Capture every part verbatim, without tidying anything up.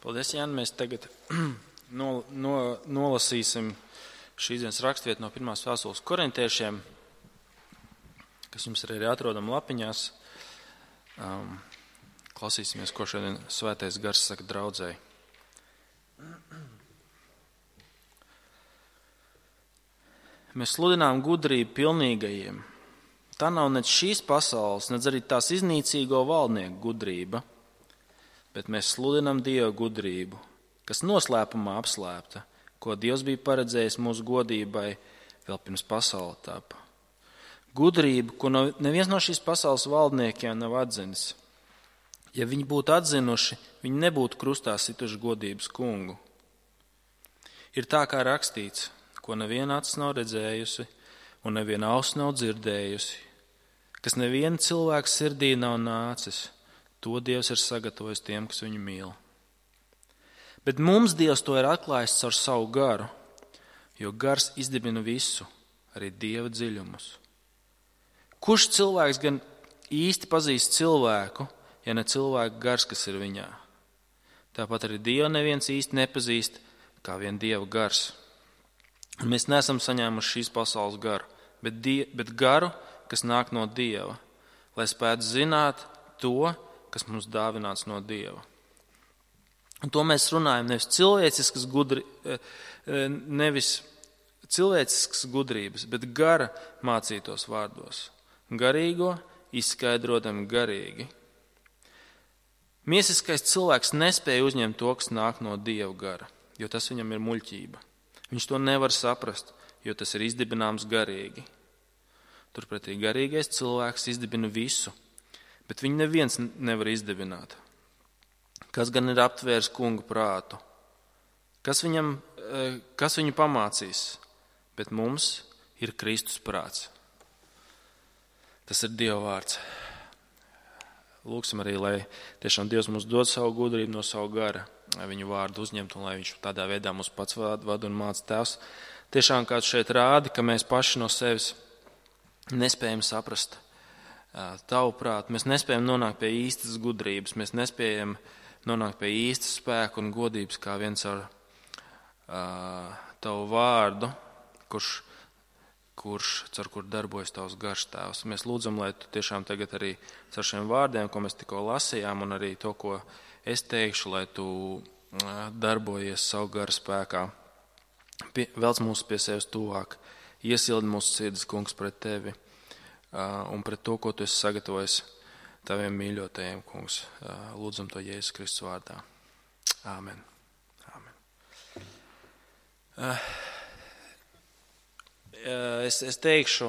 Paldies, Jāni. Mēs tagad no, no, nolasīsim šīs dienas rakstvietu no pirmās vēstules korintiešiem, kas jums arī ir atrodama lapiņās. Um, klausīsimies, ko šodien svētais gars saka draudzēji. Mēs sludinām gudrību pilnīgajiem. Tā nav nec šīs pasaules, nec arī tās iznīcīgo valdnieku gudrība, bet mēs sludinām Dieva gudrību, kas noslēpumā apslēpta, ko Dievs bija paredzējis mūsu godībai vēl pirms pasaule tapa. Gudrību, ko no, neviens no šīs pasaules valdniekiem nav atzinis. Ja viņi būtu atzinuši, viņi nebūtu krustā situši godības kungu. Ir tā, kā rakstīts, ko neviena acis nav redzējusi un neviena auss nav dzirdējusi, kas neviena cilvēka sirdī nav nācis, to Dievs ir sagatavojis tiem, kas viņu mīl. Bet mums Dievs to ir atklājis caur savu garu, jo gars izdibina visu, arī Dieva dziļumus. Kurš cilvēks gan īsti pazīst cilvēku, ja ne cilvēka gars, kas ir viņā? Tāpat arī Dievu neviens īsti nepazīst, kā vien Dieva gars. Un mēs neesam saņēmuši šīs pasaules garu, bet, die, bet garu, kas nāk no Dieva, lai spētu zināt to, kas mums dāvināts no Dieva. Un to mēs runājam nevis cilvēciskas, gudri, nevis cilvēciskas gudrības, bet gara mācītos vārdos. Garīgo izskaidrotam garīgi. Miesiskais cilvēks nespēja uzņemt to, kas nāk no Dieva gara, jo tas viņam ir muļķība. Viņš to nevar saprast, jo tas ir izdibināms garīgi. Turpretī garīgais cilvēks izdibina visu, bet viņu neviens nevar izdibināt. Kas gan ir aptvērs kunga prātu? Kas, viņam, kas viņu pamācīs? Bet mums ir Kristus prāts. Tas ir Dieva vārds. Lūksim arī, lai tiešām Dievs mums dod savu gudrību no savu gara, viņu vārdu uzņemt, un lai viņš tādā veidā mums pats vada un māca. Tēvs. Tiešām kāds šeit rādi, ka mēs paši no sevis nespējam saprast tavu prātu, mēs nespējam nonākt pie īstas gudrības, mēs nespējam nonākt pie īstas spēka un godības, kā viens ar uh, tavu vārdu, kurš, kurš, ar kur darbojas tavs gars, Tēvs. Mēs lūdzam, lai tu tiešām tagad arī ar šiem vārdiem, ko mēs tikko lasījām, un arī to, ko es teikšu, lai tu darbojies savu garu spēkā. Pie, velc mūs pie sevis tuvāk, iesildi mūsu sirdis, kungs, pret tevi un pret to, ko tu esi sagatavojis taviem mīļotajiem, kungs. Lūdzam to Jēzus Kristus vārdā. Āmen. Āmen. Es, es teikšu,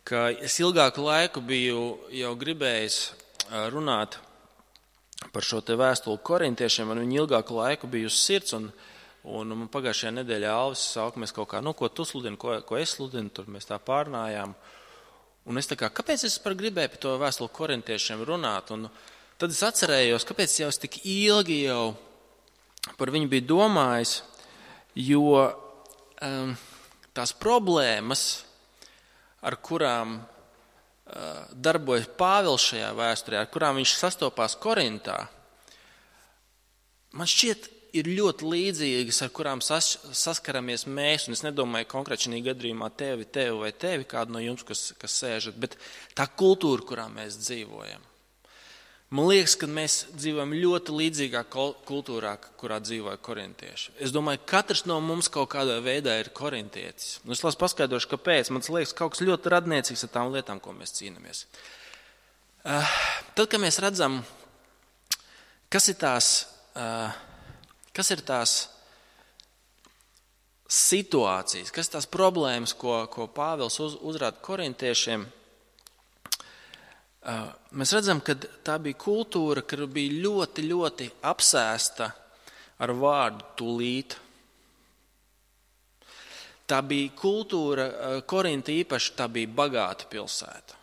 ka es ilgāku laiku biju jau gribējis runāt par šo te vēstuli korintiešiem, un viņi ilgāku laiku bija uz sirds, un, un man pagājušajā nedēļā Alvis sauka, mēs kaut kā, nu, ko tu sludini, ko, ko es sludinu, tur mēs tā pārnājām. Un es tā kā, kāpēc es par gribēju par to vēstuli korintiešiem runāt? Un tad es atcerējos, kāpēc jau es tik ilgi jau par viņu biju domājis, jo um, tās problēmas, ar kurām darbojas Pāvils šajā vēsturē, ar kurām viņš sastopās Korintā, man šķiet ir ļoti līdzīgas, ar kurām sas, saskaramies mēs, un es nedomāju konkrēti šajā gadījumā tevi, tevi vai tevi, kādu no jums, kas, kas sēžat, bet tā kultūra, kurā mēs dzīvojam. Man liekas, ka mēs dzīvojam ļoti līdzīgā kultūrā, kurā dzīvoja korintieši. Es domāju, katrs no mums kaut kādā veidā ir korintietis. Un es lasu paskaidrošu, kāpēc. Man liekas, kaut kas ļoti radniecīgs ar tām lietām, ko mēs cīnāmies. Uh, tad, kad mēs redzam, kas ir tās, uh, kas ir tās situācijas, kas ir tās problēmas, ko, ko Pāvils uz, uzrāda korintiešiem, mēs redzam, ka tā bija kultūra, kur bija ļoti, ļoti apsēsta ar vārdu tūlīt. Tā bija kultūra, Korinta īpaši, tā bija bagāta pilsēta.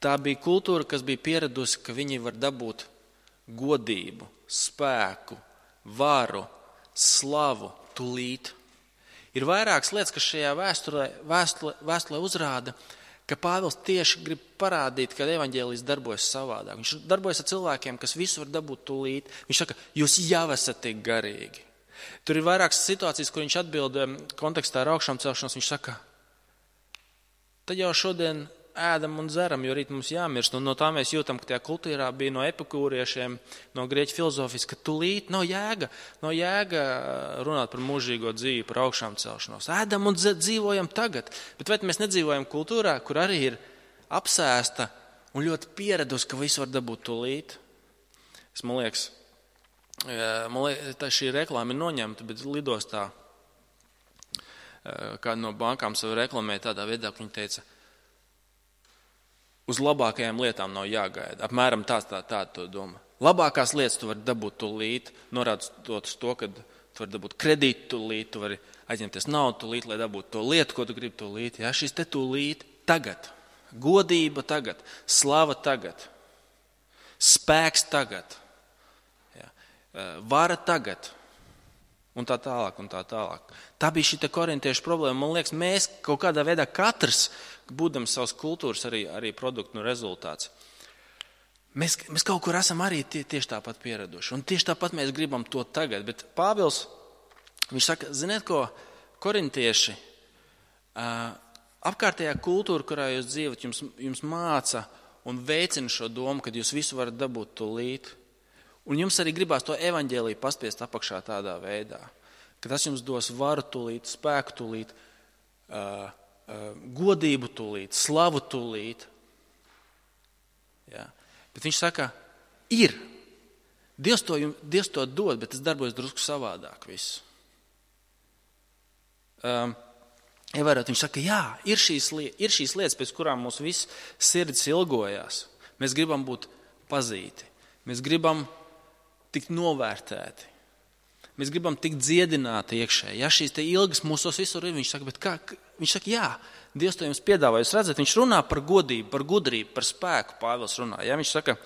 Tā bija kultūra, kas bija pieradusi, ka viņi var dabūt godību, spēku, varu, slavu tūlīt. Ir vairākas lietas, kas šajā vēsturē, vēsturē, vēsturē uzrāda, ka Pāvils tieši grib parādīt, ka evaņģēlijs darbojas savādāk. Viņš darbojas ar cilvēkiem, kas visu var dabūt tūlīt. Viņš saka, jūs jau esat tik garīgi. Tur ir vairākas situācijas, kur viņš atbild kontekstā ar augšām celšanos. Viņš saka, tad jau šodien ēdam un dzeram, jo rīt mums jāmirst. Un no tā mēs jūtam, ka tajā kultūrā bija no epikūriešiem, no grieķu filozofijas, ka tūlīt nav jēga, nav jēga runāt par mūžīgo dzīvi, par augšām celšanos. Ēdam un dzīvojam tagad. Bet vai mēs nedzīvojam kultūrā, kur arī ir apsēsta un ļoti pieradusi, ka visu var dabūt tūlīt? Es, man liekas, man liekas, tā šī reklāma ir noņemta, bet lidostā kāda no bankām savu reklamē tādā veidā, ka viņi teica, uz labākajām lietām nav jāgaida. Apmēram tāds tā, tā to doma. Labākās lietas tu vari dabūt tūlīt, norādot uz to, ka tu vari dabūt kredītu tūlīt, tu vari aizņemties naudu tūlīt, lai dabūtu to lietu, ko tu gribi tūlīt. Ja, šis te tūlīt tagad. Godība tagad. Slava tagad. Spēks tagad. Ja, vara tagad. Un tā tālāk, un tā tālāk. Tā bija šī korintiešu problēma. Man liekas, mēs kaut kādā veidā katrs, būdams savas kultūras arī, arī produktu rezultāts, mēs, mēs kaut kur esam arī tie, tieši tāpat pieraduši. Un tieši tāpat mēs gribam to tagad. Bet Pāvils, viņš saka, ziniet ko, korintieši, apkārtējā kultūra, kurā jūs dzīvot, jums, jums māca un veicina šo domu, ka jūs visu varat dabūt tūlīt. Un jums arī gribās to evaņģēliju paspiest apakšā tādā veidā, ka tas jums dos varu tūlīt, spēku tūlīt, uh, uh, godību tūlīt, slavu tūlīt. Ja. Bet viņš saka, ir. Dievs to, Dievs to dod, bet tas darbojas drusku savādāk viss. Um, Ievērot, viņš saka, jā, ir šīs, ir šīs lietas, pēc kurām mūs viss sirds ilgojās. Mēs gribam būt pazīti. Mēs gribam tikt novērtēti. Mēs gribam tikt dziedināti iekšēji. Ja šīs te ilgas mūsos visur ir, viņš saka, bet kā? Viņš saka, jā, Dievs to jums piedāvā. Jūs redzat, viņš runā par godību, par gudrību, par spēku. Pāvils runā. Ja, viņš saka,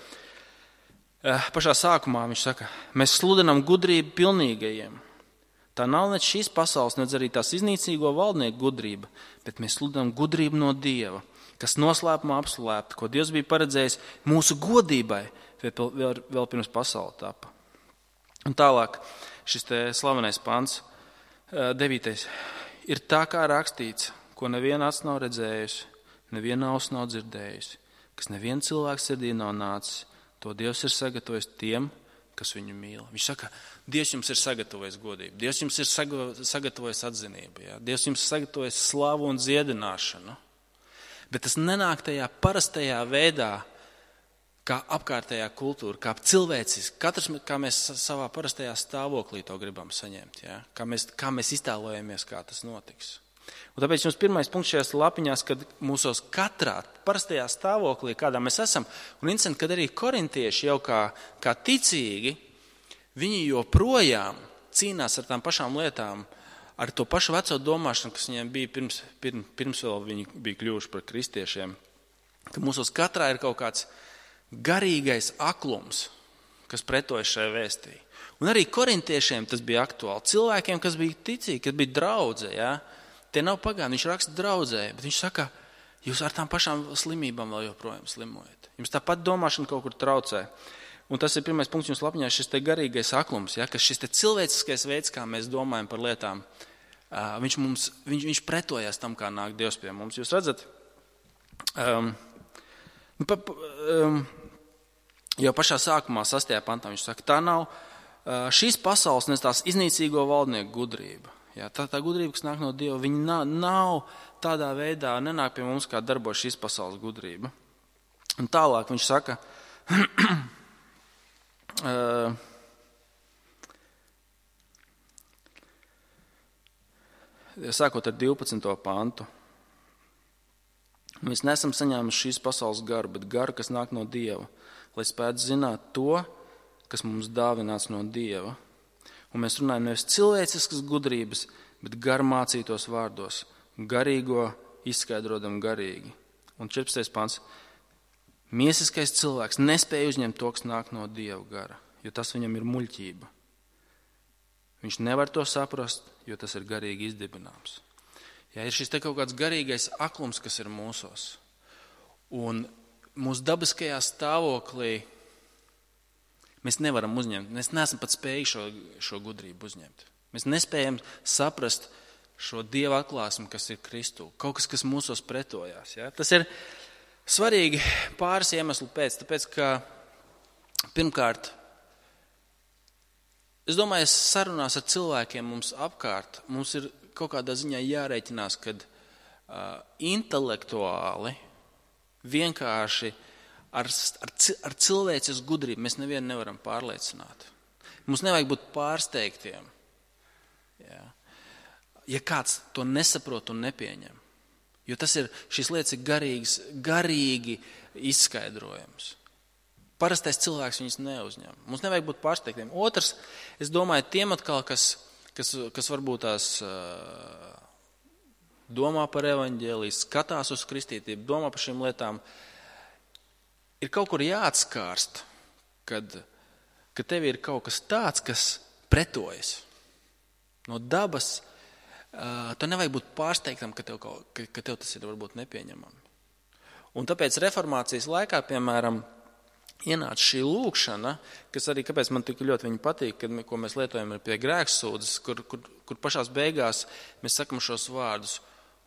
pašā sākumā viņš saka, mēs sludinām gudrību pilnīgajiem. Tā nav ne šīs pasaules, ne arī tās iznīcīgo valdnieku gudrība, bet mēs sludinām gudrību no Dieva, kas noslēpumā apslēpta, ko Dievs bija paredzējis mūsu godībai vēl, vēl pirms pasaule tapa. Un tālāk šis te slavenais pants, devītais, ir tā kā rakstīts, ko neviena acs nav redzējusi, neviena auss nav dzirdējusi, kas neviena cilvēka sirdī nav nācis, to Dievs ir sagatavojis tiem, kas viņu mīl. Viņš saka, Dievs jums ir sagatavojis godību, Dievs jums ir sagatavojis atzinību, ja? Dievs jums ir sagatavojis slavu un dziedināšanu, bet tas nenāk tajā parastajā veidā, kā apkārtējā kultūra, kā cilvēciski, katrs, kā mēs savā parastajā stāvoklī to gribam saņemt, ja? kā, mēs, kā mēs iztēlojamies, kā tas notiks. Un tāpēc jums pirmais punkts šajās lapiņās, kad mūsos katrā parastajā stāvoklī, kādā mēs esam, un interesanti, kad arī korintieši jau kā, kā ticīgi, viņi joprojām cīnās ar tām pašām lietām, ar to pašu veco domāšanu, kas viņiem bija pirms, pirms, pirms vēl viņi bija kļuvuši par kristiešiem, ka mūsos katrā ir kaut kāds garīgais aklums, kas pretojas šai vēstī. Un arī korintiešiem tas bija aktuāli. Cilvēkiem, kas bija ticīgi, kas bija draudze, ja? Tie nav pagāni, viņš raksta draudzē, bet viņš saka, jūs ar tām pašām slimībām vēl joprojām slimojat. Jums tāpat domāšana kaut kur traucē. Un tas ir pirmais punkts jums lapņā, šis te garīgais aklums, ja? Ka šis te cilvēciskais veids, kā mēs domājam par lietām, viņš, mums, viņš, viņš pretojas tam, kā nāk Dievs pie mums. Jūs redzat, um, pa, pa, um, jau pašā sākumā, sastajā pantā, viņš saka, tā nav šīs pasaules, nes tās iznīcīgo valdnieku gudrība. Jā, tā, tā gudrība, kas nāk no Dieva, viņa nav, nav tādā veidā, nenāk pie mums, kā darbojas šīs pasaules gudrība. Un tālāk viņš saka, uh, sākot ar divpadsmito pantu, mēs nesam saņēmuši šīs pasaules garu, bet garu, kas nāk no Dieva, lai spētu zināt to, kas mums dāvināts no Dieva. Un mēs runājam nevis cilvēciskas gudrības, bet garmācītos vārdos, garīgo izskaidrodam garīgi. Un četrpadsmitais pants. Miesiskais cilvēks nespēja uzņemt to, kas nāk no Dieva gara, jo tas viņam ir muļķība. Viņš nevar to saprast, jo tas ir garīgi izdibināms. Ja ir šis te kaut kāds garīgais aklums, kas ir mūsos, Un mūsu dabiskajā stāvoklī mēs nevaram uzņemt, mēs neesam pat spējuši šo, šo gudrību uzņemt. Mēs nespējam saprast šo Dieva atklāsmi, kas ir Kristū. Kaut kas, kas mūsos pretojās. Ja? Tas ir svarīgi pāris iemeslu pēc, tāpēc, ka pirmkārt, es domāju, sarunās ar cilvēkiem mums apkārt, mums ir kaut kādā ziņā jārēķinās, kad uh, intelektuāli vienkārši ar, ar, ar cilvēces gudrību mēs nevienu nevaram pārliecināt. Mums nevajag būt pārsteigtiem, ja, ja kāds to nesaprot un nepieņem. Jo tas ir, šīs lietas ir garīgas, garīgi izskaidrojams. Parastais cilvēks viņus neuzņem. Mums nevajag būt pārsteigtiem. Otrs, es domāju, tiem atkal, kas, kas, kas varbūt tās uh, domā par evaņģēliju, skatās uz kristītību, domā par šīm lietām, ir kaut kur jāatskārst, kad, kad tev ir kaut kas tāds, kas pretojas. No dabas uh, tu nevajag būt pārsteigtam, ka tev, kaut, ka, ka tev tas ir varbūt nepieņemami. Un tāpēc reformācijas laikā, piemēram, ienāca šī lūkšana, kas arī, kāpēc man tik ļoti viņa patīk, kad, ko mēs lietojam pie grēksūdzes, kur, kur, kur pašās beigās mēs sakam šos vārdus,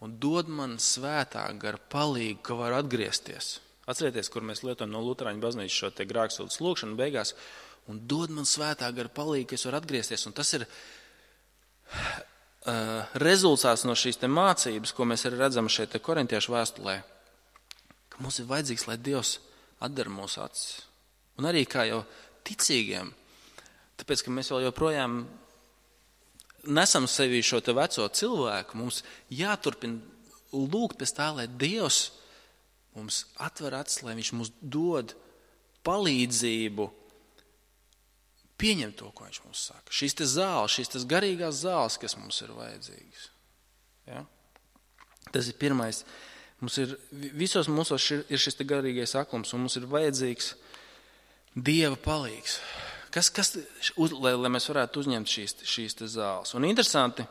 un dod man svētā gara palīgu, ka var atgriezties. Atcerieties, kur mēs lietojam no Luterāņu baznīcas šo te grēksūdzes lūkšanu beigās, un dod man svētā gara palīgu, ka es varu atgriezties. Un tas ir uh, rezultāts no šīs te mācības, ko mēs arī redzam šeit te korintiešu vēstulē, ka mums ir vajadzīgs, lai Dievs atdara mūsu acis. Un arī kā jau ticīgiem, tāpēc, ka mēs vēl joprojām nesam sevī šo te veco cilvēku, mums jāturpina lūgt pēc tā, lai Dievs mums atver acis, lai viņš mums dod palīdzību pieņemt to, ko viņš mums saka. Šīs te zāles, šīs te garīgās zāles, kas mums ir vajadzīgas. Ja? Tas ir pirmais. Mums ir, visos mūsos ir šis te garīgais aklums, un mums ir vajadzīgs Dieva palīgs. Kas, kas, uz, lai, lai mēs varētu uzņemt šīs, šīs te zāles. Un interesanti,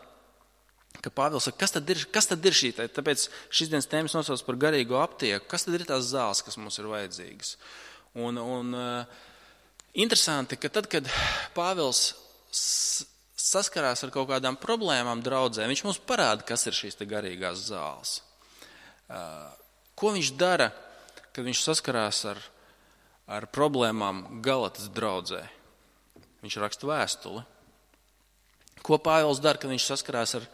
ka Pāvils saka, kas tad ir, kas tad ir šī, tāpēc šīs dienas tēmas nosauc par garīgo aptieku, kas tad ir tās zāles, kas mums ir vajadzīgas. Un, un uh, interesanti, ka tad, kad Pāvils saskarās ar kaut kādām problēmām draudzē, viņš mums parāda, kas ir šīs te garīgās zāles. Uh, ko viņš dara, kad viņš saskarās ar, ar problēmām Galatas draudzē? Viņš raksta vēstuli. Ko Pāvils dara, kad viņš saskarās ar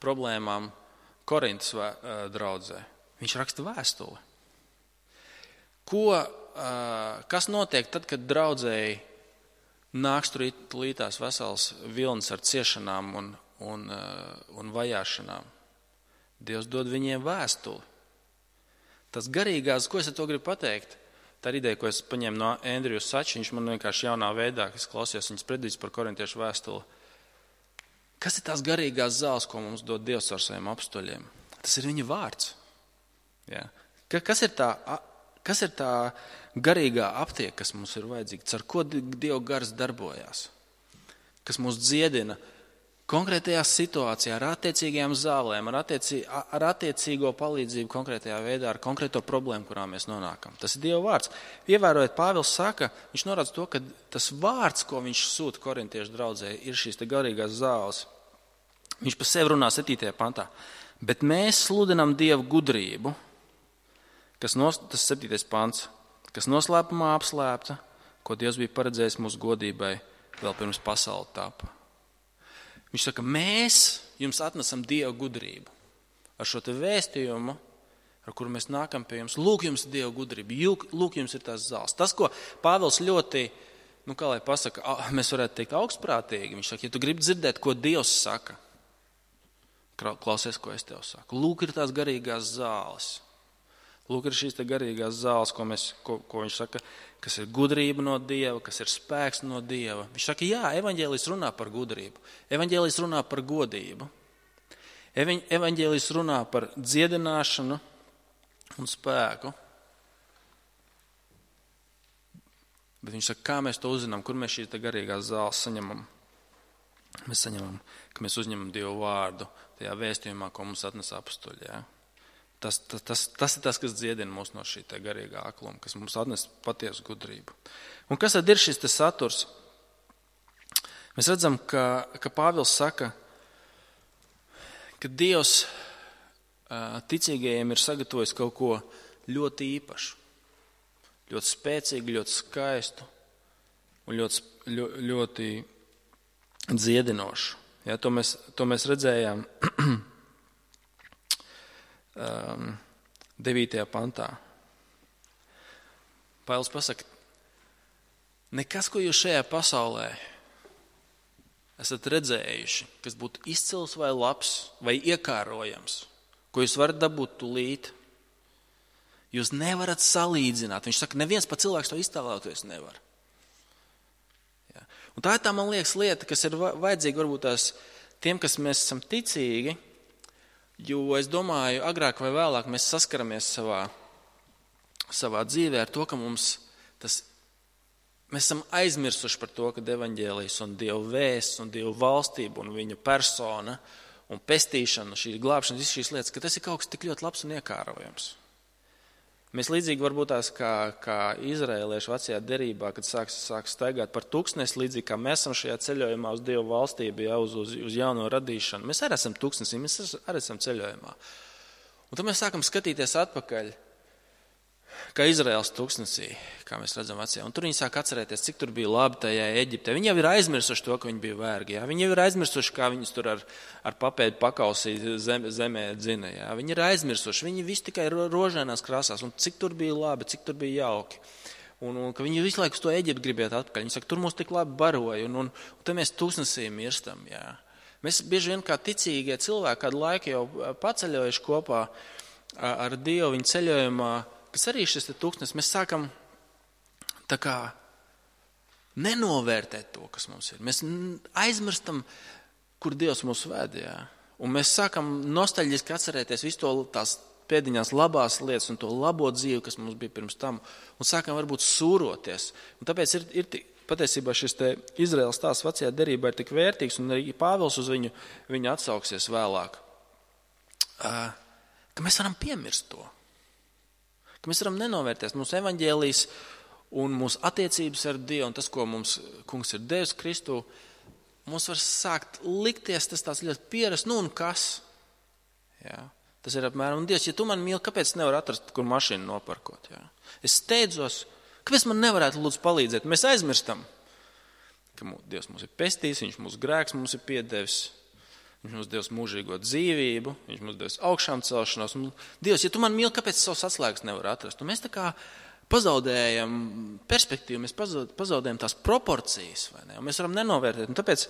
problēmām Korintas draudzē? Viņš raksta vēstuli. Ko, kas notiek tad, kad draudzēji nāks tur lītās vesels vilnis ar ciešanām un, un, un vajāšanām? Dievs dod viņiem vēstuli. Tas garīgās, ko es ar to gribu pateikt? Tā ir ideja, ko es paņēmu no Andriju Sača, viņš man vienkārši jaunā veidā, kas klausījās viņas predīzes par korintiešu vēstuli. Kas ir tās garīgās zāles, ko mums dod Dievs ar saviem apstuļiem? Tas ir viņa vārds. Ja? Kas ir tā, kas ir tā garīgā aptieka, kas mums ir vajadzīga? Ar ko Dieva gars darbojās? Kas mūs dziedina konkrētajā situācijā, ar attiecīgajām zālēm, ar, attiecī, ar attiecīgo palīdzību konkrētajā veidā, ar konkrēto problēmu, kurā mēs nonākam. Tas ir Dieva vārds. Ievērojot, Pāvils saka, viņš norāda to, ka tas vārds, ko viņš sūta korintiešu draudzē, ir šīs te garīgās zāles. Viņš par sevi runā septītajā pantā. Bet mēs sludinam Dievu gudrību, kas nos, tas septītais pants, kas noslēpumā apslēpta, ko Dievs bija paredzējis mūsu godībai vēl pirms pasaule tapa. Viņš saka, mēs jums atnesam Dieva gudrību. Ar šo te vēstījumu, ar kuru mēs nākam pie jums, lūk jums Dieva gudrību, lūk jums ir tās zāles. Tas, ko Pāvils ļoti, nu kā lai pasaka, mēs varētu teikt augstprātīgi, viņš saka, ja tu gribi dzirdēt, ko Dievs saka, klausies, ko es tev saku. Lūk ir tās garīgās zāles. Lūk ir šīs te garīgās zāles, ko, mēs, ko, ko viņš saka, kas ir gudrība no Dieva, kas ir spēks no Dieva. Viņš saka, jā, evaņģēlijs runā par gudrību. Evaņģēlijs runā par godību. Evaņģēlijs runā par dziedināšanu un spēku. Bet viņš saka, kā mēs to uzzinām, kur mēs šīs te garīgās zāles saņemam. Mēs saņemam, ka mēs uzņemam Dievu vārdu tajā vēstījumā, ko mums atnes apstuļi. Ja? tas, tas, tas, tas ir tas, kas dziedina mūs no šī te garīgā akluma, kas mums atnes patiesu gudrību. Un kas tad ir šis te saturs? Mēs redzam, ka, ka Pāvils saka, ka Dievs ticīgajiem ir sagatavojis kaut ko ļoti īpašu, ļoti spēcīgu, ļoti skaistu un ļoti, ļoti, ļoti dziedinošu. Ja, to, mēs, to mēs redzējām um, devītajā pantā. Pāvils pasaka, nekas, ko jūs šajā pasaulē esat redzējuši, kas būtu izcils vai labs vai iekārojams, ko jūs varat dabūt tūlīt, jūs nevarat salīdzināt. Viņš saka, neviens pa cilvēks to iztēloties nevar. Ja. Un tā ir tā, man liekas, lieta, kas ir vajadzīga varbūt tās tiem, kas mēs esam ticīgi, jo es domāju, agrāk vai vēlāk mēs saskaramies savā, savā dzīvē ar to, ka mums tas, mēs esam aizmirsuši par to, ka evaņģēlijs un Dieva vēsts un Dieva valstība un viņa persona un pestīšana, šī glābšana, visas šīs lietas, ka tas ir kaut kas tik ļoti labs un iekārojams. Mēs līdzīgi varbūt tās kā, kā izraēlieši vecajā derībā, kad sāks, sāks staigāt par tūkstnesi, līdzīgi kā mēs esam šajā ceļojumā uz Dievu valstību, ja, uz, uz, uz jauno radīšanu. Mēs arī esam tūkstnesī, mēs arī esam ceļojumā. Un tad mēs sākam skatīties atpakaļ, kā Izraēlas tūkstnesī, kā mēs redzam vecajā. Un tur viņi sāk atcerēties, cik tur bija labi tajā Eģiptē. Viņi jau ir aizmirsuši to, ka viņi bija vergi. Jā. Viņi jau ir aizmirsuši, kā viņus tur ar, ar papēdi pakausī zem, zemē dzina. Jā. Viņi ir aizmirsuši. Viņi visi tikai rožainās krāsās. Un cik tur bija labi, cik tur bija jauki. Un, un ka viņi visu laiku uz to Eģiptu gribētu atpakaļ. Viņi saka, tur mūs tik labi baroja. Un, un, un te mēs tūkstnesī mirstam. Jā. Mēs bieži vien kā ticīgie cilvēki kādu laiku jau paceļojuši kopā ar Dievu viņa ceļojumā, kas arī šis tūkstnes, mēs sākam tā kā nenovērtēt to, kas mums ir. Mēs aizmirstam, kur Dievs mūs ved, jā. Un mēs sākam nostalģiski atcerēties visu to tās pēdiņās labās lietas un to labo dzīvi, kas mums bija pirms tam, un sākam varbūt sūroties. Un tāpēc ir, ir patiesībā šis te Izraēlas stāsts vecajā derībā ir tik vērtīgs, un arī Pāvils uz viņu, viņu atsauksies vēlāk, ka mēs varam piemirst to. Ka mēs varam nenovērtēt mūsu evaņģēlijs un mūsu attiecības ar Dievu un tas, ko mums kungs ir devis Kristu, mums var sākt likties tas tāds ļoti pierast, nu un kas? Jā, tas ir apmēram, un Dievs, ja tu man mīli, kāpēc nevar atrast, kur mašīnu noparkot? Jā? Es steidzos, kāpēc man nevarētu lūdzu palīdzēt? Mēs aizmirstam, ka Dievs mums ir pestījis, viņš mūsu grēks mums ir piedevis. Viņš mums devis mūžīgo dzīvību, viņš mums devis augšām celšanos. Un, Dievs, ja tu man mīli, kāpēc savas atslēgas nevar atrast? Un mēs tā kā pazaudējam perspektīvu, mēs pazaudējam tās proporcijas, vai ne? Un mēs varam nenovērtēt. Un tāpēc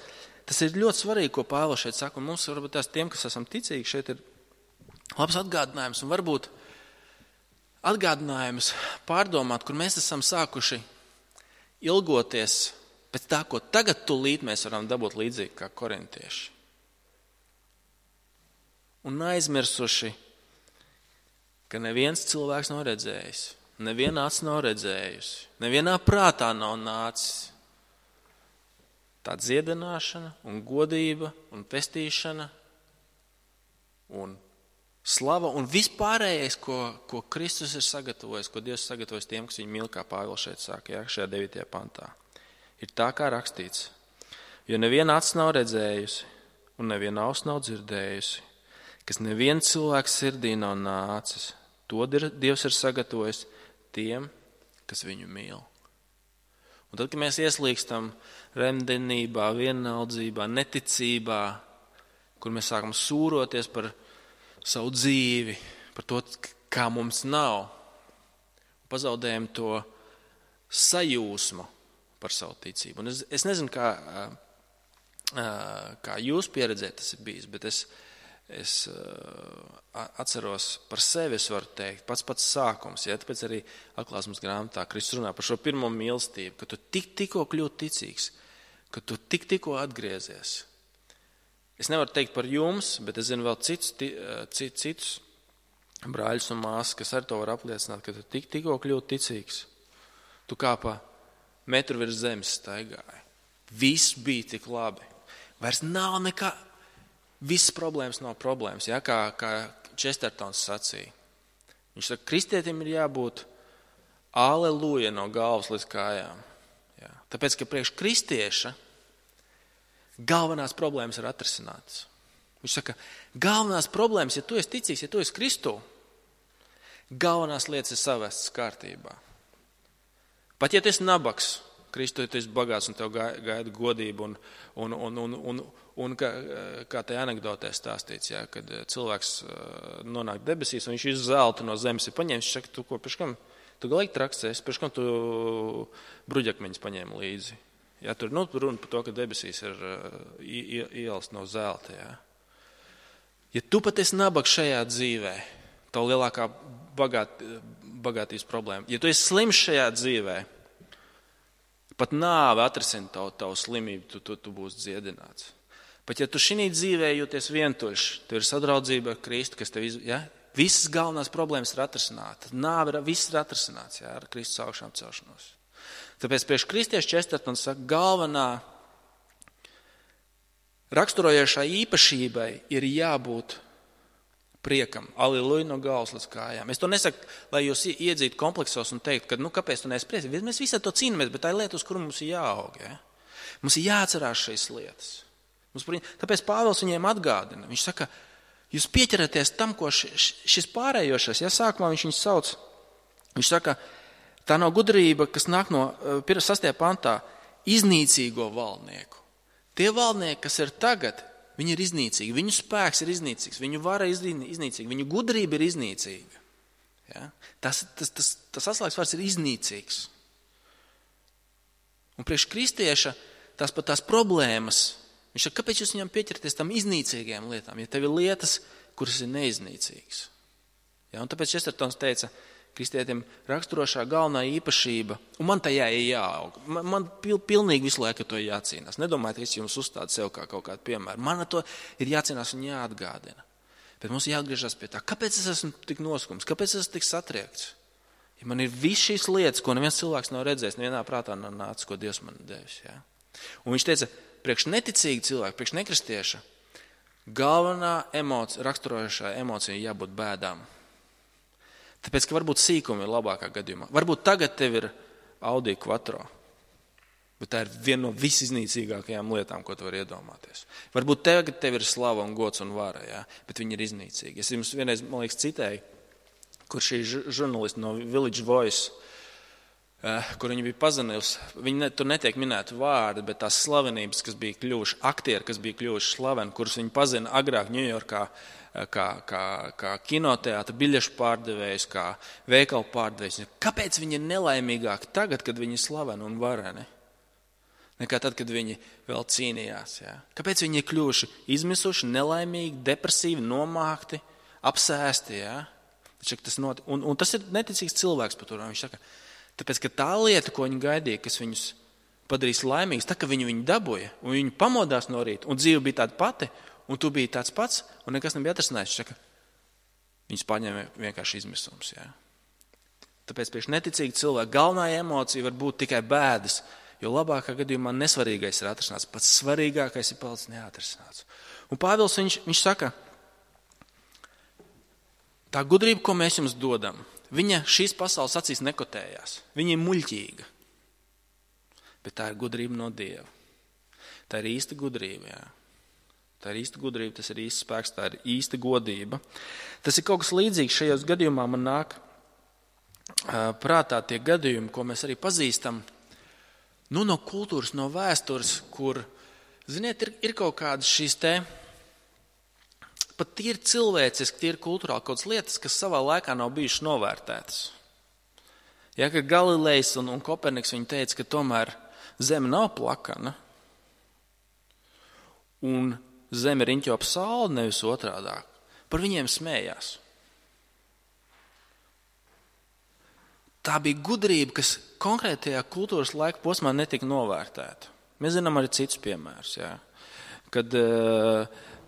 tas ir ļoti svarīgi, ko Pāvils šeit saka. Un mums varbūt tās tiem, kas esam ticīgi, šeit ir labs atgādinājums. Un varbūt atgādinājums pārdomāt, kur mēs esam sākuši ilgoties pēc tā, ko tagad tūlīt mēs varam dabūt līdzīgi kā korintieši. Un aizmirsuši, ka neviens cilvēks nav redzējis, neviena acs nav redzējusi, nevienā prātā nav nācis tā dziedināšana un godība un pestīšana un slava un vispārējais, ko, ko Kristus ir sagatavojis, ko Dievs sagatavojis tiem, kas viņu mīl, kā Pāvils šeit saka, jā, šajā devītajā pantā. Ir tā, kā rakstīts, jo neviena acs nav redzējusi un neviena auss nav dzirdējusi, kas neviens cilvēks sirdī nav nācis, to Dievs ir sagatavojis tiem, kas viņu mīl. Un tad, kad mēs ieslīgstam remdenībā, vienaldzībā, neticībā, kur mēs sākam sūroties par savu dzīvi, par to, kā mums nav, pazaudējam to sajūsmu par savu ticību. Un es, es nezinu, kā, kā jūs pieredzē tas ir bijis, bet es Es uh, atceros par sevi, es varu teikt, pats pats sākums, ja, tāpēc arī atklāsmes grāmatā Kristus runā par šo pirmo mīlestību, ka tu tik tikko kļūti ticīgs, ka tu tik tikko atgriezies. Es nevaru teikt par jums, bet es zinu vēl citus, cit, citus brāļus un māsas, kas ar to var apliecināt, ka tu tik tikko kļūti ticīgs. Tu kā pa metru virs zemes staigāji. Viss bija tik labi. Vairs nav nekā. Viss problēmas nav problēmas, ja? kā, kā Čestertons sacīja. Viņš saka, kristietim ir jābūt aleluja no galvas līdz kājām. Jā. Tāpēc, ka priekš kristieša galvenās problēmas ir atrisinātas. Viņš saka, galvenās problēmas, ja tu esi ticīgs, ja tu esi Kristū, galvenās lietas ir savestas kārtībā. Pat ja tu esi nabaks, Kristu, ja tu esi bagāts un tev gaida godība un, un, un, un, un, un kā, kā tajā anekdotē stāstīts, jā, kad cilvēks nonāk debesīs un viņš visu zeltu no zemes ir paņēmis, viņš saka, tu ko, pēc kam, tu galīgi traks esi, pēc kam tu bruģakmeņus paņēmi līdzi. Jā, tur nu, runa par to, ka debesīs ir ielas no zelta, jā. Ja tu pat esi nabaks šajā dzīvē, tavu lielākā bagāt, bagātības problēma, ja tu esi slims šajā dzīvē, pat nāve atrisina tavu, tavu slimību, tu, tu, tu būsi dziedināts. Pat ja tu šī dzīvē jūties vientuļš, tev ir sadraudzība ar Kristu, kas tev, iz, ja? Visas galvenās problēmas ir atrisinātas. Nāve ir, viss ir atrisināts, ja? Ar Kristus augšām celšanos. Tāpēc priekš kristiešu Čestertons saka, galvenā raksturojošā īpašībai ir jābūt priekam, aleluja no galvas līdz kājām. Es to nesaku, lai jūs iedzītu kompleksos un teikt, ka, nu, kāpēc tu neesi priecīgs? Mēs visi to cīnāmies, bet tā ir lieta, uz kuru mums ir jāaug. Ja? Mums ir jāatcerās šīs lietas. Mums, tāpēc Pāvils viņiem atgādina. Viņš saka, jūs pieķeraties tam, ko šis pārējošais, ja sākumā viņš viņus sauc, viņš saka, tā nav gudrība, kas nāk no sastajā pantā, iznīcīgo valdnieku. Tie valdnieki, kas ir tagad, viņi ir iznīcīgi, viņu spēks ir iznīcīgs, viņu vara ir iznīcīga, viņu gudrība ir iznīcīga. Ja? Tas, tas, tas, tas atslēgas vārds ir iznīcīgs. Un priekš kristieša tās pat tās problēmas, viņš saka, kāpēc jūs viņam pieķerties tam iznīcīgajām lietām, ja tev ir lietas, kuras ir neiznīcīgas. Ja? Un tāpēc Čestertons teica, kristietim raksturošā galvenā īpašība, un man tajā ir jāaug. Man, man pil, pilnīgi visu laiku to jācīnās. Nedomājiet, ka es jums uzstādu sev kā kaut kādu piemēru. Man ar to ir jācīnās un jāatgādina. Bet mums jāatgriežas pie tā, kāpēc es esmu tik noskums, kāpēc es esmu tik satriekts. Ja man ir viss šīs lietas, ko neviens cilvēks nav redzējis, nevienā prātā nav nācis, ko Dievs man devis. Ja? Un viņš teica, priekš neticīgi cilvēki, priekš nekristieša, galvenā emocija, raksturojošā emocija jābūt bēdām. Tāpēc, ka varbūt sīkumi ir labākā gadījumā. Varbūt tagad tev ir Audi Quattro, bet tā ir viena no visiznīcīgākajām lietām, ko tu vari iedomāties. Varbūt tagad tev ir slava un gods un vara, ja? Bet viņi ir iznīcīgi. Es jums vienreiz, man liekas, citēju, kur šī žurnālisti no Village Voice, kur viņi bija pazinusi, viņi ne, tur netiek minēti vārdi, bet tās slavenības, kas bija kļuvuši, aktieri, kas bija kļuvuši slaveni, kurus viņi pazina agrāk Ņujorkā, kā, kā, kā kinoteātra, biļešu pārdevējs, kā veikalu pārdevējs. Kāpēc viņi ir nelaimīgāki tagad, kad viņi ir slaveni un vareni, nekā tad, kad viņi vēl cīnījās? Ja? Kāpēc viņi ir kļuvuši izmisuši, nelaimīgi, depresīvi, nomākti, apsēsti? Ja? Tas not... un, un tas ir neticīgs cilvēks par to. Viņš saka, tāpēc, ka tā lieta, ko viņi gaidīja, kas viņus padarīs laimīgus, tā, ka viņi viņu dabūja, un viņi pamodās no rīta, un dzīve bija tāda pati, un tu biji tāds pats, un nekas nebija atrasinājis. Saka, viņus paņēma vienkārši izmisums. Jā. Tāpēc priekš neticīgi cilvēki galvenā emocija var būt tikai bēdas, jo labākā gadījumā nesvarīgais ir atrasināts, pats svarīgākais ir palicis neatrasināts. Un Pāvils viņš, viņš saka, tā gudrība, ko mēs jums dodam, viņa šīs pasaules acīs nekotējās. Viņa ir muļķīga. Bet tā ir gudrība no Dieva. Tā ir īsta gudrība, jā. Tā ir īsta gudrība, tas ir īsts spēks, tā ir īsta godība. Tas ir kaut kas līdzīgs šajos gadījumā man nāk uh, prātā tie gadījumi, ko mēs arī pazīstam, nu, no kultūras, no vēstures, kur, ziniet, ir, ir kaut kādas šīs te, pat tīri cilvēciski, tīri kultūrāli kaut kādas lietas, kas savā laikā nav bijušas novērtētas. Ja, ka Galilejs un, un Koperniks viņi teica, ka tomēr Zeme nav plakana, un Zeme riņķo ap sauli, nevis otrādāk. Par viņiem smējās. Tā bija gudrība, kas konkrētajā kultūras laika posmā netika novērtēta. Mēs zinām arī citus piemērus. Jā. Kad uh,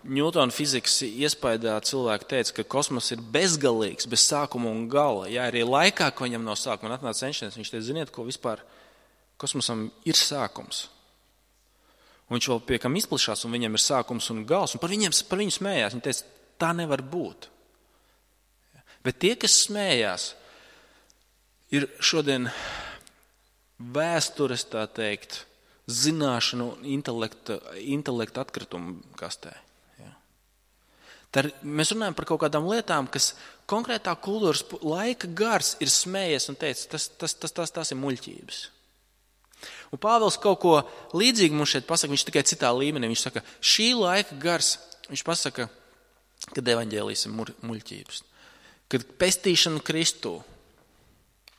Ņūtona fizikas iespaidā cilvēki teica, ka kosmos ir bezgalīgs, bez sākuma un gala. Jā, arī laikā, ko viņam no sākuma atnāca Einšteins, viņš teica, ziniet, ko vispār kosmosam ir sākums. Un viņš vēl pie kam izplišās, un viņam ir sākums un gals, un par, viņiem, par viņu smējās. Viņi teica, tā nevar būt. Bet tie, kas smējās, ir šodien vēstures, tā teikt, zināšanu un intelekta, intelekta atkritumu kastē. Ja. Tad mēs runājam par kaut kādām lietām, kas konkrētā kultūras laika gars ir smējies un teica, tas, tas, tas, tas, tas ir muļķības. Un Pāvils kaut ko līdzīgu mums šeit pasaka, viņš tikai citā līmenī. Viņš saka, šī laika gars, viņš pasaka, kad evaņģēlijs ir muļķības. Kad pestīšana Kristū,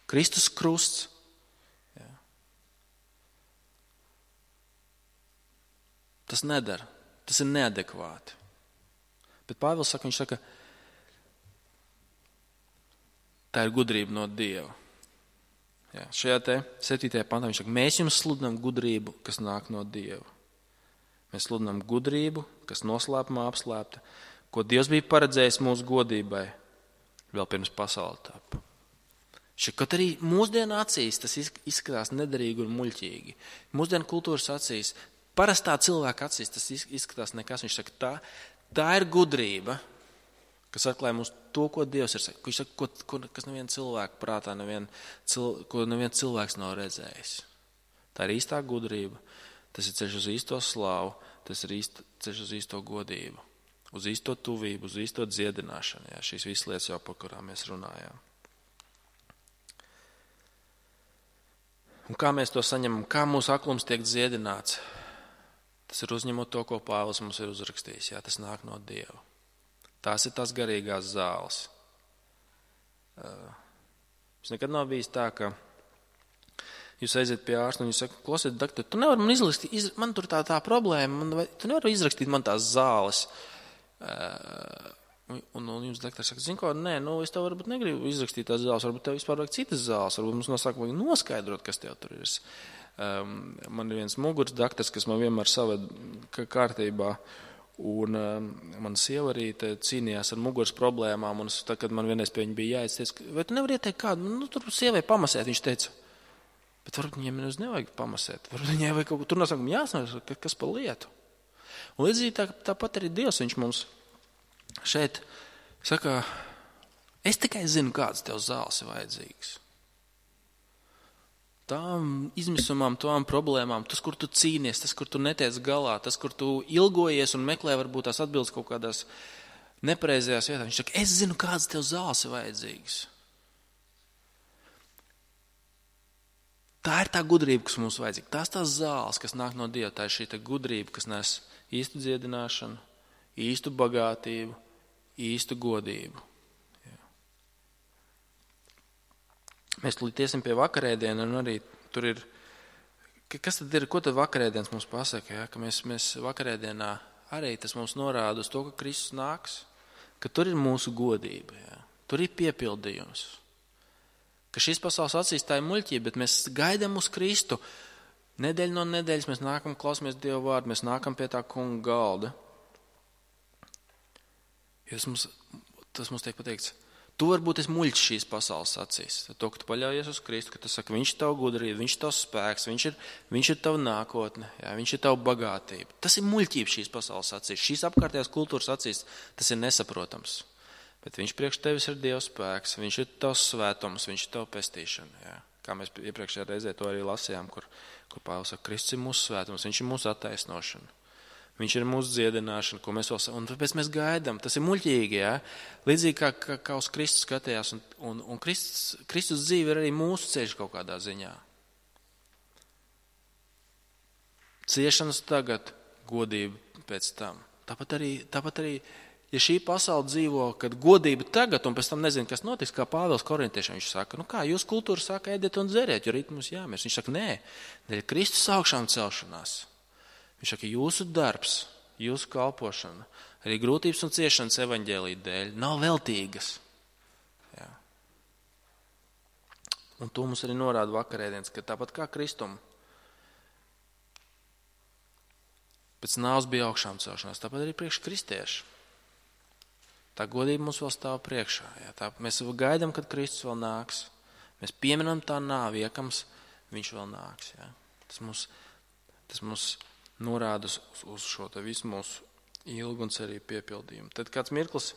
Kristus krusts. Jā. Tas nedara, tas ir neadekvāti. Bet Pāvils saka, viņš saka, tā ir gudrība no Dieva. Jā, šajā te septītajā pantā viņš saka, mēs jums sludinām gudrību, kas nāk no Dieva. Mēs sludinām gudrību, kas noslēpumā apslēpta, ko Dievs bija paredzējis mūsu godībai vēl pirms pasaule tapa. Kaut arī mūsdienu acīs tas izskatās nederīgi un muļķīgi. Mūsdienu kultūras acīs, parastā cilvēka acīs tas izskatās nekas. Viņš saka, tā, tā ir gudrība, kas atklāja mums to, ko Dievs ir sakis. Viņš saka, ko, ko, kas neviena cilvēka prātā, nevien, cil, ko neviens cilvēks nav redzējis. Tā ir īstā gudrība, tas ir ceļš uz īsto slāvu, tas ir īst, ceļš uz īsto godību, uz īsto tuvību, uz īsto dziedināšanu. Jā, šīs visas lietas jau, par kurām mēs runājām. Un kā mēs to saņemam, kā mūsu aklums tiek dziedināts, tas ir uzņemot to, ko Pāvils mums ir uzrakstījis. Jā, tas nāk no Dieva. Tās ir tās garīgās zāles. Es nekad nav bijis tā, ka jūs aiziet pie ārsta un jūs saka, klausiet, doktor, tu nevari man izrakstīt, iz, man tur tā tā problēma, man, vai, tu nevari izrakstīt man tās zāles. Un, un jums doktors saka, zin ko, nē, nu es tev varbūt negribu izrakstīt tās zāles, varbūt tev vispār vajag citas zāles, varbūt mums nosaka, vajag noskaidrot, kas tev tur ir. Um, man ir viens muguras doktors, kas man vienmēr saved kārtībā, un um, man sieva arī cīnījās ar muguras problēmām, un es, tā, kad man vienreiz pie viņa bija jāiet, teica, vai tu nevari ieteikt kādu, nu tur sievai pamasēt, viņš teica, bet varbūt viņiem nemaz nevajag pamasēt, varbūt viņai vajag kaut ko, tur nosakam jāsnāk, kas pa lietu. Un līdzīgi tā, tāpat arī Dievs, viņš mums šeit saka, es tikai zinu, kādas tev zāles ir vajadzīgas. Tām izmisumām, tām problēmām, tas, kur tu cīnies, tas, kur tu netiec galā, tas, kur tu ilgojies un meklē varbūt tās atbildes kaut kādās nepareizajās vietās. Viņš saka, es zinu, kādas tev zāles ir vajadzīgas. Tā ir tā gudrība, kas mums vajadzīga. Tās tās zāles, kas nāk no Dieva, tā ir šī tā gudrība, kas nes īstu dziedināšanu, īstu bagātību, īstu godību. Jā. Mēs tulīt iesim pie vakarēdiena, un arī tur ir, kas tad ir, ko tad vakarēdienas mums pasaka, ja? Ka mēs, mēs vakarēdienā arī tas mums norāda uz to, ka Kristus nāks, ka tur ir mūsu godība, ja? Tur ir piepildījums, ka šīs pasaules acīs tā ir muļķība, bet mēs gaidām uz Kristu. Nedēļu no nedēļas mēs nākam, klausamies Dieva vārdu, mēs nākam pie tā kunga galda. Tas mums, tas mums tiek pateikts, tu varbūt esi muļķis šīs pasaules acīs. To, ka tu paļaujies uz Kristu, ka tu saki, viņš ir tavu gudrību, viņš ir tavs spēks, viņš ir, viņš ir tava nākotne, jā, viņš ir tava bagātība. Tas ir muļķība šīs pasaules acīs. Šīs apkārtējās kultūras acīs tas ir nesaprotams. Bet viņš priekš tevis ir Dieva spēks, viņš ir tavs svētums, viņš ir tava pestīšana. Jā. Kā mēs iepriekšējā reizē to arī lasījām, kur, kur Pāvils saka, Kristus ir mūsu svētums, viņš ir mūsu attaisnošana. Viņš ir mūsu dziedināšana, ko mēs vēl, un tāpēc mēs gaidām. Tas ir muļķīgi, jā. Līdzīgi kā, kā, kā uz Kristus skatījās, un, un, un Kristus, Kristus dzīve ir arī mūsu ceļš kaut kādā ziņā. Ciešanas tagad, godība pēc tam. Tāpat arī, tāpat arī, ja šī pasaule dzīvo, kad godība tagad, un pēc tam nezinu, kas notiks, kā Pāvils korintiešiem, viņš saka, nu kā, jūs kultūra saka, ēdiet un dzeriet, jo rīt mums jāmēs. Viņš saka, nē, dēļ Kristus augšām celšanās. Viņš saka, jūsu darbs, jūsu kalpošana, arī grūtības un ciešanas evaņģēlija dēļ nav veltīgas. Jā. Un to mums arī norāda vakarēdienas, ka tāpat kā Kristum pēc nāves bija augšām celšanās, tāpat arī priekš kristieši. Tā godība mums vēl stāv priekšā. Jā. Tā, mēs gaidām, kad Kristus vēl nāks. Mēs pieminam tā nāvi, iekams viņš vēl nāks. Jā. Tas mums, tas mums norāda uz, uz šo te visu mūsu ilgu un cerību piepildījumu. Tad kāds mirklis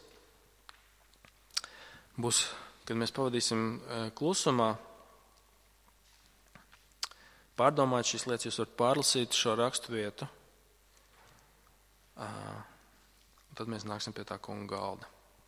būs, kad mēs pavadīsim klusumā, pārdomāt šīs lietas, jūs varat pārlasīt šo rakstu vietu. Tad mēs nāksim pie tā kunga galda.